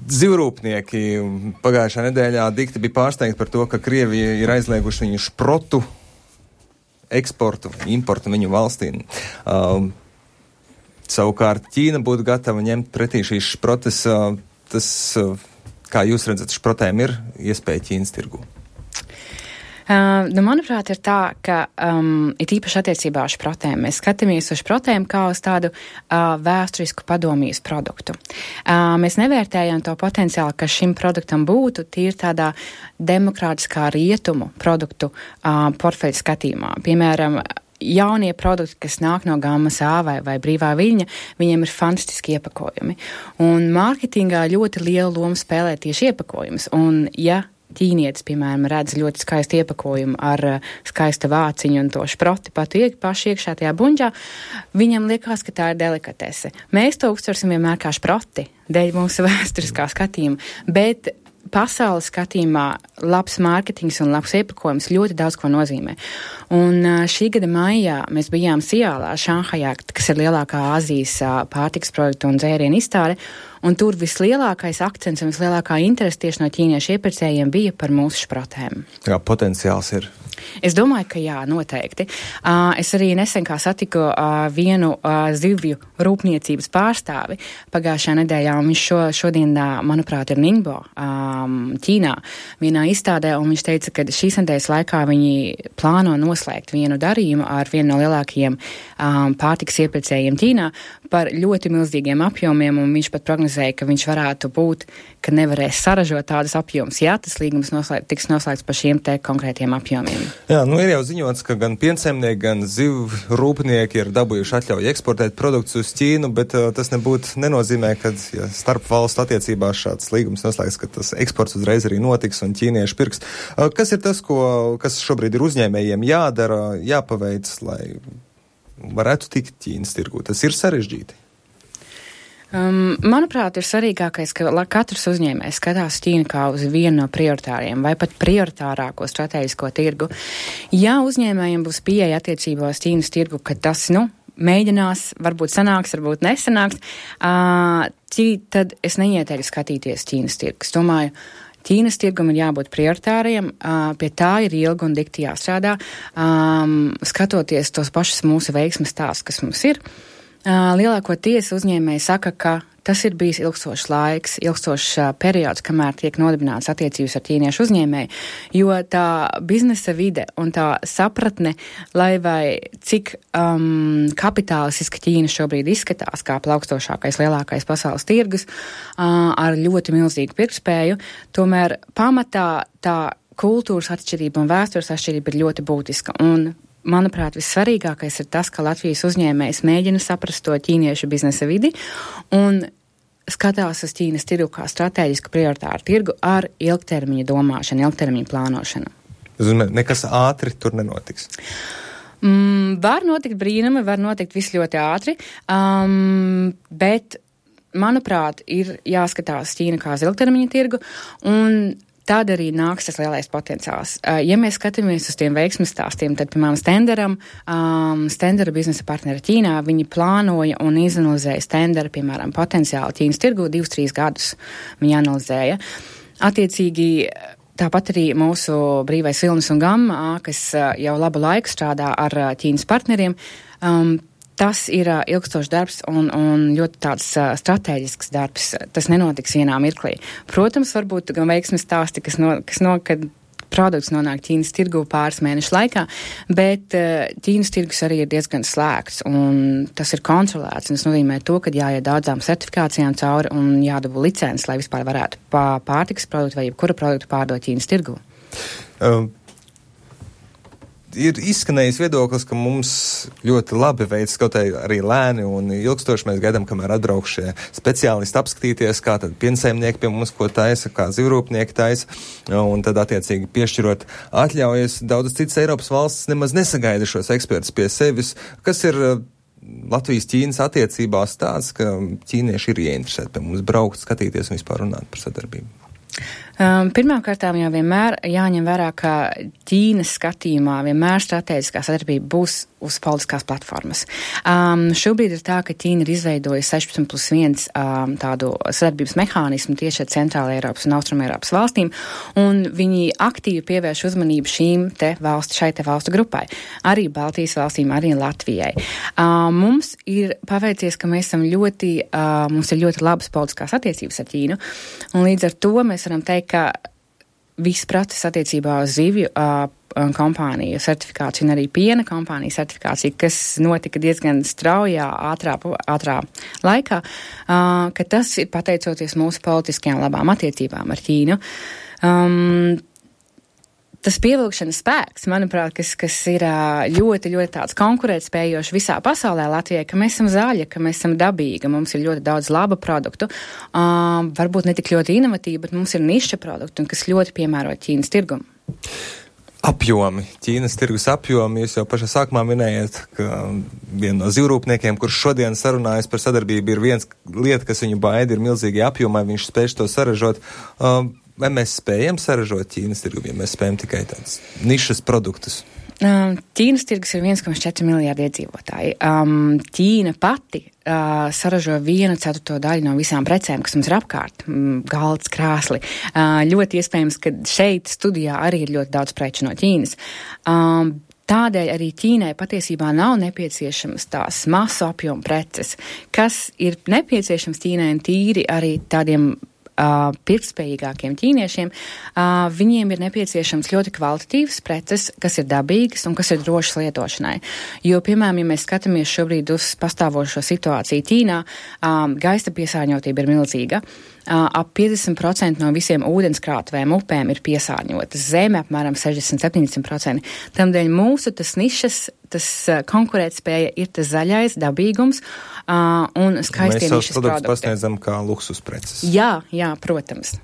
Zivrūpnieki pagājušā nedēļā dikti bija pārsteigti par to, ka Krievija ir aizlieguši viņu šprotu eksportu, importu viņu valstīm. Savukārt Ķīna būtu gatava ņemt pretī šīs šprotes. Kā jūs redzat, šprotēm ir iespēja Ķīnas tirgū? Manuprāt, ir tā, ka it īpaši attiecībā uz šprotēm. Mēs skatāmies uz šprotēm kā uz tādu vēsturisku padomijas produktu. Mēs nevērtējam to potenciālu, ka šim produktam būtu tīri tādā demokrātiskā rietumu produktu portfeļu skatījumā. Piemēram, jaunie produkti, kas nāk no gammas A vai brīvā viļņa, viņiem ir fantastiski iepakojumi. Un mārketingā ļoti lielu lomu spēlē tieši iepakojums. Un, ja ķīnietis, piemēram, redz ļoti skaistu iepakojumu ar skaista vāciņu un to šproti paši iekšā tajā buņģā, viņam liekas, ka tā ir delikatese. Mēs to uztversim vienmēr kā šproti, dēļ mūsu vēsturiskā skatījuma, bet pasaules skatījumā labs mārketings un labs iepakojums ļoti daudz ko nozīmē. Un šī gada maijā mēs bijām Sijālā, Šanhajā, kas ir lielākā Āzijas pārtikas produktu un dzērienu izstāde, un tur vislielākais akcents un vislielākā interese tieši no ķīniešu iepirkējiem bija par mūsu šprotēm. Jā, potenciāls ir. Es domāju, ka jā, noteikti. Es arī nesen kā satiku vienu zivju rūpniecības pārstāvi pagājušā nedēļā, un viņš šodien, manuprāt, ir Ningbo, Ķīnā, vienā izstādē, un viņš teica, ka šīs nedēļas laikā viņi plāno noslēgt vienu darījumu ar vienu no lielākajiem pārtikas iepirkējiem Ķīnā par ļoti milzīgiem apjomiem, un viņš pat prognozēja, ka viņš varētu būt, ka nevarēs saražot tādus apjomus, ja tas līgums tiks noslēgts par šiem te konkrētiem apjomiem. Jā, ir jau ziņots, ka gan piensaimnieki, gan zivju rūpnieki ir dabūjuši atļauju eksportēt produktus uz Ķīnu, bet tas nenozīmē, ka starp valstu attiecībās šāds līgums noslēgts, ka tas eksports uzreiz arī notiks un ķīnieši pirks. Kas ir tas, kas šobrīd ir uzņēmējiem jādara, jāpaveic, lai varētu tikt Ķīnas tirgū? Tas ir sarežģīti. Manuprāt, ir svarīgākais, ka katrs uzņēmējs skatās Ķīnu kā uz vienu no prioritāriem vai pat prioritārāko strateģisko tirgu. Ja uzņēmējiem būs pieeja attiecībās Ķīnas tirgu, ka tas, mēģinās, varbūt sanāks, varbūt nesanāks, tad es neieteiktu skatīties Ķīnas tirgu. Es domāju, Ķīnas tirgum ir jābūt prioritāriem, pie tā ir ilgi un dikti jāstrādā, skatoties tos pašus mūsu veiksmes stāstus, kas mums ir. Lielākoties uzņēmēji saka, ka tas ir bijis ilgstošs laiks, ilgstošs periods, kamēr tiek nodibināts attiecības ar ķīniešu uzņēmēju, jo tā biznesa vide un tā sapratne, lai vai cik kapitalistiski Ķīna šobrīd izskatās kā plaukstošākais, lielākais pasaules tirgus ar ļoti milzīgu pirktspēju, tomēr pamatā tā kultūras atšķirība un vēstures atšķirība ir ļoti būtiska. Un manuprāt, vissvarīgākais ir tas, ka Latvijas uzņēmējs mēģina saprast to ķīniešu biznesa vidi un skatās uz Ķīnas tirgu kā strateģisku prioritāru tirgu ar ilgtermiņa domāšanu, ilgtermiņa plānošanu. Nekas ātri tur nenotiks? Var notikt brīnumi, var notikt viss ļoti ātri, bet, manuprāt, ir jāskatās Ķīna kā uz ilgtermiņa tirgu un tad arī nāks tas lielais potenciāls. Ja mēs skatāmies uz tiem veiksmes stāstiem, tad, piemēram, Stendera biznesa partneri Ķīnā, viņi plānoja un izanalizēja Stendera, piemēram, potenciālu Ķīnas tirgu 2-3 gadus. Viņi analizēja. Attiecīgi, tāpat arī mūsu brīvais vilnis un gamma, kas jau labu laiku strādā ar Ķīnas partneriem, tas ir ilgstošs darbs un ļoti tāds strateģisks darbs. Tas nenotiks vienā mirklī. Protams, varbūt gan veiksmes stāsti, kad produkts nonāk Ķīnas tirgu pāris mēnešu laikā, bet Ķīnas tirgus arī ir diezgan slēgts un tas ir kontrolēts. Un tas nozīmē to, ka jāiet daudzām certifikācijām cauri un jādabū licences, lai vispār varētu pārtikas produktu vai jebkura produktu pārdot Ķīnas tirgu. Ir izskanējis viedoklis, ka mums ļoti labi veids, kaut arī lēni un ilgstoši mēs gaidām, kamēr atbrauks šie speciālisti apskatīties, kā tad piensaimnieki pie mums ko taisa, kā zivrūpnieki taisa, un tad attiecīgi piešķirot atļaujas. Daudzas citas Eiropas valstis nemaz nesagaida šos ekspertus pie sevis. Kas ir Latvijas-Ķīnas attiecībās tāds, ka ķīnieši ir ieinteresēti pie mums braukt, skatīties un vispār runāt par sadarbību? Pirmkārtām jau vienmēr jāņem vērā, ka Ķīnas skatījumā vienmēr strateģiskā sadarbība būs uz politiskās platformas. Šobrīd ir tā, ka Ķīna ir izveidojusi 16+1 tādu sadarbības mehānismu tieši ar Centrāla Eiropas un Austrum Eiropas valstīm, un viņi aktīvi pievērš uzmanību šai te valstu grupai. Arī Baltijas valstīm, arī Latvijai. Mums ir paveicies, ka mums ir ļoti labas politiskās attiecības ar Ķīnu, un līdz ar to mēs varam teikt, ka viss process attiecībā uz zivju kompāniju certifikāciju un arī piena kompāniju certifikāciju, kas notika diezgan straujā, ātrā laikā, ka tas ir pateicoties mūsu politiskajām labām attiecībām ar Ķīnu. Tas pievilkšanas spēks, manuprāt, kas ir ļoti, ļoti tāds konkurētspējošs visā pasaulē Latvijai, ka mēs esam zaļi, ka mēs esam dabīgi, mums ir ļoti daudz laba produktu, varbūt ne tik ļoti inovatīvi, bet mums ir niša produktu, un kas ļoti piemēro Ķīnas tirgumu. Apjomi, Ķīnas tirgus apjomi, jūs jau pašā sākumā minējat, ka viena no zivrūpniekiem, kurš šodien sarunājas par sadarbību, ir viens lieta, kas viņu baida, ir milzīgi apjomai, viņš spēj to saražot. Vai mēs spējam saražot Ķīnas tirgu, ja mēs spējam tikai tādas nišas produktus? Ķīnas tirgus ir 1,4 miljārdi iedzīvotāji. Ķīna pati saražo 1/4 daļu no visām precēm, kas mums ir apkārt. Galds, krāsli. Ļoti iespējams, ka šeit studijā arī ir ļoti daudz preču no Ķīnas. Tādēļ arī Ķīnai patiesībā nav nepieciešams tās masu apjomu preces, kas ir nepieciešams Ķīnai un tīri arī tādiem pirktspējīgākiem ķīniešiem, viņiem ir nepieciešams ļoti kvalitatīvas preces, kas ir dabīgas un kas ir drošas lietošanai. Jo, piemēram, ja mēs skatāmies šobrīd uz pastāvošo situāciju Ķīnā, gaisa piesārņotība ir milzīga. Ap 50% no visiem ūdenskrātuvēm upēm ir piesārņotas, zeme apmēram 60-70%. Tamdēļ mūsu tas nišas, tas konkurētspēja ir tas zaļais, dabīgums un skaistie nišas produkti. Mēs savus produktus pasniedzam kā luksus preces. Jā, protams.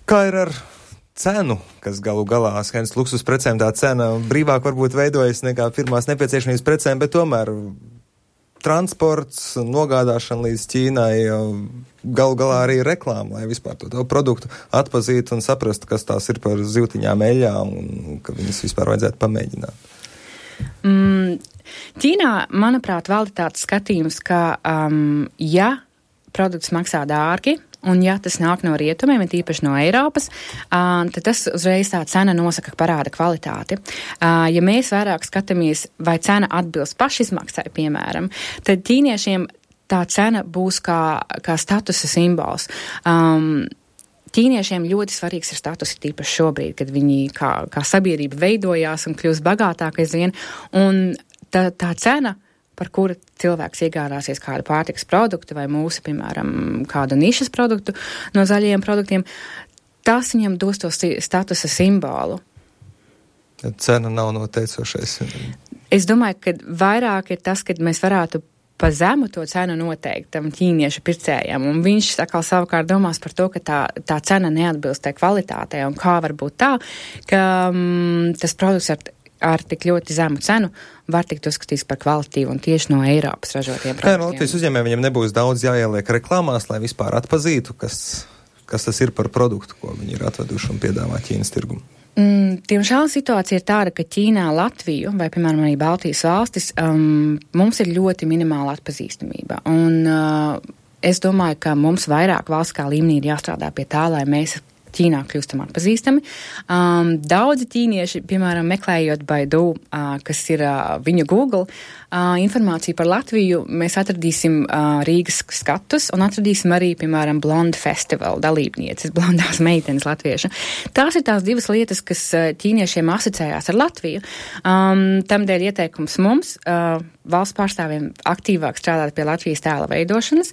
Kā ir ar cenu, kas galu galā skaidrs luksus precēm, tā cena brīvāk varbūt veidojas nekā pirmās nepieciešamības precēm, bet tomēr transports, nogādāšana līdz Ķīnai, galu galā arī reklāma, lai vispār to produktu atpazītu un saprastu, kas tās ir par zivtiņām eļļām un ka viņas vispār vajadzētu pamēģināt. Ķīnā, manuprāt, valda tāds skatījums, ka ja produkts maksā dārgi, un ja tas nāk no rietumiem, tīpaši no Eiropas, tad tas uzreiz tā cena nosaka, parāda kvalitāti. Ja mēs vairāk skatāmies, vai cena atbilst pašizmaksai, piemēram, tad ķīniešiem tā cena būs kā statusa simbols. Ķīniešiem ļoti svarīgs ir status, tīpaši šobrīd, kad viņi kā sabiedrība veidojās un kļūst bagātāk aizvien, un tā cena, par kuru cilvēks iegādāsies kādu pārtikas produktu vai mūsu, piemēram, kādu nišas produktu no zaļajiem produktiem, tas viņam dos to statusa simbolu. Cena nav noteicošais. Es domāju, ka vairāk ir tas, ka mēs varētu pa zemu to cenu noteikt tam ķīniešu pircējam, un viņš savukārt domās par to, ka tā cena neatbilst tai kvalitātei, un kā var būt tā, ka tas produkts ar tik ļoti zemu cenu var tikt uzskatīts par kvalitīvu un tieši no Eiropas ražotiem produktiem. Kā no Latvijas uzņēmējiem viņiem nebūs daudz jāieliek reklāmās, lai vispār atpazītu, kas tas ir par produktu, ko viņi ir atveduši un piedāvā Ķīnas tirgumu? Diemžēl situācija ir tāda, ka Ķīnā, Latviju vai, piemēram, arī Baltijas valstis, mums ir ļoti minimāla atpazīstamība. Un es domāju, ka mums vairāk valstiskā līmenī ir jāstrādā pie tā, lai mēs Ķīnā kļūstam atpazīstami. Daudzi ķīnieši, piemēram, meklējot Baidu, kas ir viņu Google, informāciju par Latviju, mēs atradīsim Rīgas skatus un atradīsim arī, piemēram, Blonde Festival dalībnieces, blondās meitenes latviešu. Tās ir tās divas lietas, kas ķīniešiem asociējās ar Latviju. Tamdēļ ieteikums mums, valsts pārstāvjiem, aktīvāk strādāt pie Latvijas tēla veidošanas.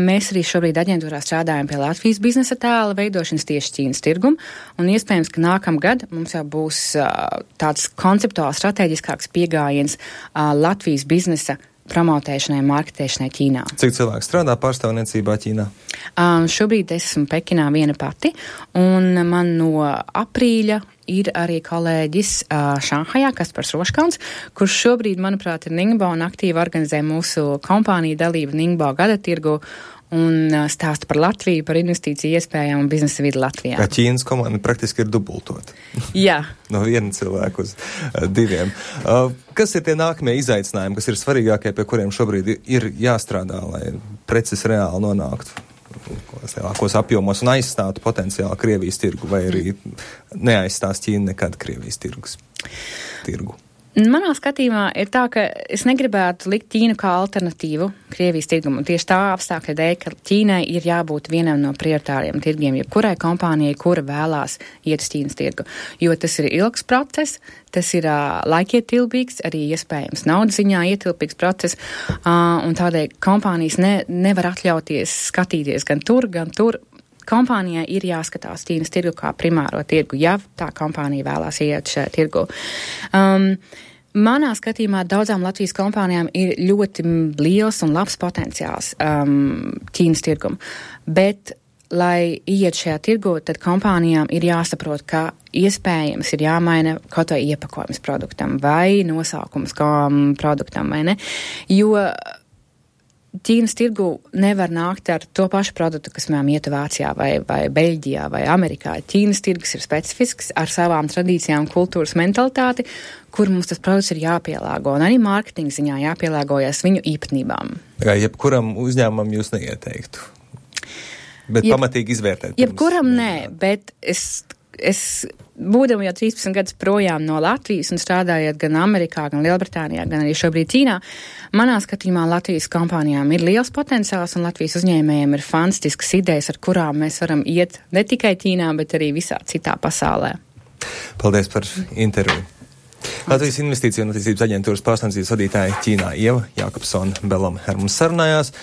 Mēs arī šobrīd aģentūrā strādājam pie Latvijas biznesa tēla veidošanas tieši Ķīnas tirgumu, un iespējams, ka nākamgad mums jau būs tāds konceptuāli strateģiskāks pieejams Latvijas biznesa promotēšanai, marketēšanai Ķīnā. Cik cilvēki strādā pārstāvniecībā Ķīnā? Šobrīd es esmu Pekinā viena pati, un man no aprīļa ir arī kolēģis Šanhajā, Kaspars Roškalns, kurš šobrīd, manuprāt, ir Ningbo un aktīvi organizē mūsu kompāniju dalību Ningbo gada tirgu, un stāstu par Latviju, par investīciju iespējām un biznesa vidi Latvijā. Kā Ķīnas komanda praktiski ir dubultot. Jā. No viena cilvēka uz diviem. Kas ir tie nākamie izaicinājumi, kas ir svarīgākie, pie kuriem šobrīd ir jāstrādā, lai preces reāli nonāktu lielākos apjomos un aizstātu potenciāli Krievijas tirgu, vai arī neaizstās Ķīna nekad Krievijas tirgu? Manā skatījumā ir tā, ka es negribētu likt Ķīnu kā alternatīvu Krievijas tirgumu. Tieši tā apstākļa dēļ, ka Ķīnai ir jābūt vienam no prioritāriem tirgiem, jebkurai kompānijai, kura vēlās iet uz Ķīnas tirgu. Jo tas ir ilgs process, tas ir laikietilpīgs, arī iespējams naudas ziņā ietilpīgs process, un tādēļ kompānijas nevar atļauties skatīties gan tur. Kompānijai ir jāskatās Ķīnas tirgu kā primāro tirgu, ja tā kompānija vēlās iet šajā tirgu. Manā skatījumā daudzām Latvijas kompānijām ir ļoti liels un labs potenciāls Ķīnas tirgumu, bet, lai iet šajā tirgu, tad kompānijām ir jāsaprot, ka iespējams ir jāmaina kaut vai iepakojums produktam vai nosaukums produktam, vai ne? Jo Ķīnas tirgu nevar nākt ar to pašu produktu, kas mēs ietu Vācijā vai Beļģijā vai Amerikā. Ķīnas tirgus ir specifisks ar savām tradīcijām, kultūras mentalitāti, kur mums tas produkts ir jāpielāgo. Un arī mārketinga ziņā jāpielāgojas viņu īpatnībām. Jebkuram uzņēmumam jūs neieteiktu, bet pamatīgi izvērtēt. Jebkuram nē, bet es būdama jau 13 gadus projām no Latvijas un strādājot gan Amerikā, gan Lielbritānijā, gan arī šobrīd Ķīnā, manā skatījumā Latvijas kompānijām ir liels potenciāls un Latvijas uzņēmējiem ir fantastiskas idejas, ar kurām mēs varam iet ne tikai Ķīnā, bet arī visā citā pasaulē. Paldies par interviju. Latvijas Investīciju un attīstības aģentūras pārstāvniecības vadītāja Ķīnā Ieva Jākapsone Belom ar mums sarunājās.